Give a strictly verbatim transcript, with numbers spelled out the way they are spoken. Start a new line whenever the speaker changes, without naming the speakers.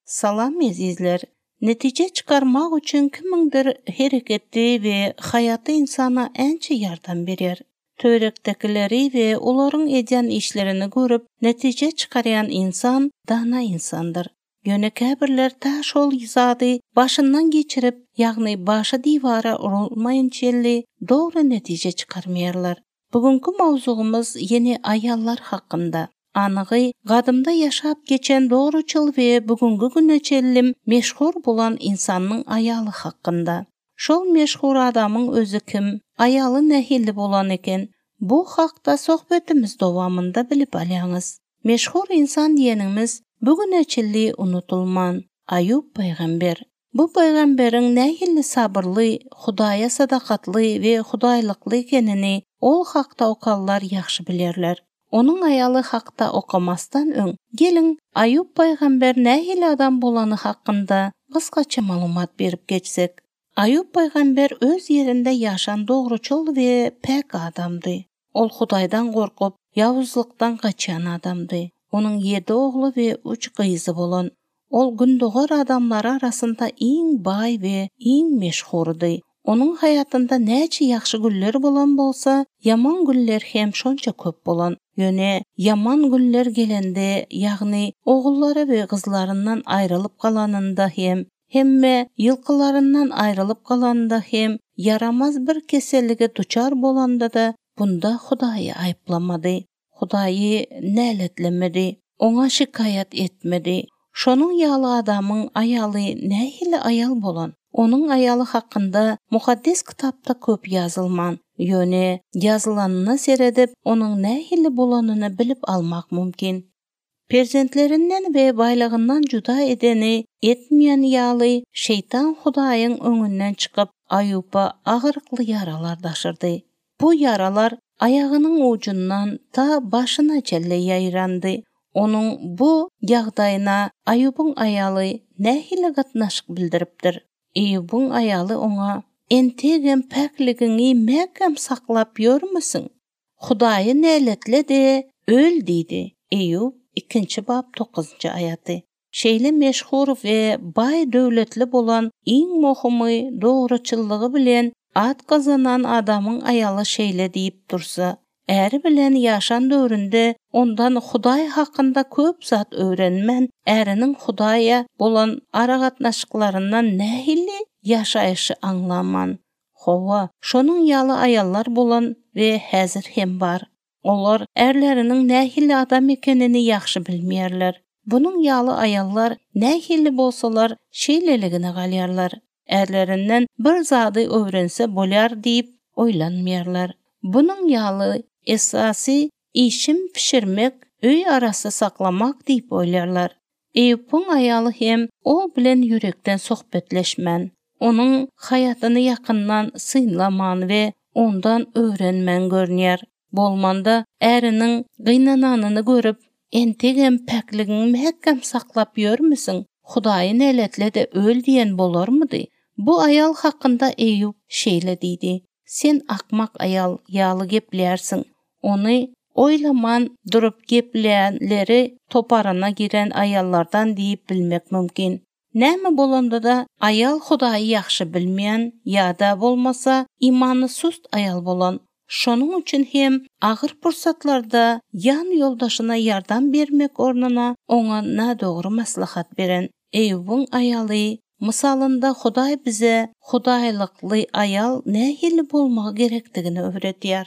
Salam ezizler. Netije çykarmak üçin kimiňdir hereketi we haýaty insana ençe ýardam berýär. Töwerekdekileri we olaryň edýän işlerini görüp, netije çykarýan insan dana insandyr. Ýöne käbirler ta şol zady başyndan geçirip, ýagny başy diwara urulmaýynçelli dogry netije çykarmaýarlar. Bugünkü mowzugymyz ýene aýallar hakynda. Anygy gadymda ýaşap geçen dogruçyl we bugünkü güne çenli meşhur bolan insanyň aýaly hakynda. Şol meşhur adamyň özi kim, aýaly nähili bolan eken? Bu hakda sohbetimiz dowamynda bilip alýaňyz. Meşhur insan diýenimiz bugüne çenli unutulman Aýup paýgamber. Bu paýgamberiň nähili sabyrly, Hudaýa sadakatly we hudaýlykly ekenini ol hakda okanlar ýagşy bilerler. Onuň aýaly hakda okamasdan öň, geliň Aýup paýgamber nähili adam bolany hakynda gysgaça maglumat berip geçsek. Aýup paýgamber öz ýerinde ýaşan dogruçyl we päk adamdy. Ol Hudaýdan gorkup, ýawuzlykdan gaçan adamdy. Onuň ýedi ogly we üç gyzy bolan. Ol gündogar adamlary arasynda iň baý we iň meşhurdy. Onuň haýatynda näçe ýagşy günler bolan bolsa, ýaman günler hem şonça köp bolan. Ýöne ýaman günler gelende, ýagny ogullary we gyzlaryndan aýrylyp galanynda hem, hemme ýylkylaryndan aýrylyp galanynda hem ýaramaz bir kesellige duçar bolanda-da bunda Hudaýy aýyplamady. Hudaýy näletlemedi, oňa şikaýat etmedi. Şonuň ýaly adamyň aýaly nähili aýal bolan? Onuň aýaly hakynda Mukaddes kitapda köp ýazylman, ýöne ýazylanyna seredip, onuň nähili bolanyny bilip almak mümkin. Perzentlerinden we baýlygyndan juda edeni etmeýän ýaly şeytan Hudaýyň öňünden çykyp Aýuba agyrykly ýaralar daşyrdy. Bu ýaralar aýagynyň ujundan ta başyna çenli ýaýrandy. Onuň bu ýagdaýyna Aýubyň aýaly nähili gatnaşyk bildiripdir? Eýubyň aýaly oňa entegem päkligiňi mäkäm saklap ýörmüsiň? Hudaýy näletle-de öl diýdi. Eýub ikinji bap dokuzynjy aýaty. Şeýle meşhur we baý döwletli bolan iň möhümi dogruçyllygy bilen at gazanan adamyň aýaly şeýle diýip dursa, äri bilen ýaşan döwründe ondan Hudaý hakynda köp zat öwrenmän, äriniň Hudaýa bolan aragatnaşyklaryndan nähili ýaşaýşy aňlaman. Hawa, şonuň ýaly aýallar bolan we häzir hem bar. Olar ärleriniň nähili adam ekenini ýagşy bilmeýärler. Bunuň ýaly aýallar nähili bolsalar şeýleligine galýarlar. Ärlerinden bir zady öwrense bolýar diýip oýlanmaýarlar. Bunuň ýaly esasy işim pişirmek, öý arasy saklamak diýip oýlarlar. Eýubyň aýaly hem ol bilen ýürekden sohbetleşmän, onuň haýatyny ýakyndan synlaman we ondan öwrenmän görünýär. Bolmanda äriniň gynananyny görüp, entegem päkligiňi mäkäm saklap ýörmüsiň? Hudaýy näletle-de öl diýen bolarmydy? Bu aýal hakynda Eýub şeýle diýdi: Sen akmak aýal ýaly geplärsiň. Ony oýlaman durup geplänleri toparyna giren aýallardan diýip bilmek mümkin. Näme bolanda-da aýal Hudaýy ýagşy bilmeýän ýa-da bolmasa imany sust aýal bolan. Şonuň üçin hem agyr pursatlarda ýan ýoldaşyna ýardam bermek ornuna oňa nadogry maslahat beren Eýubyň aýaly mysalynda Hudaý bize hudaýlykly aýal nähili bolmagy gerekdigini öwredýär.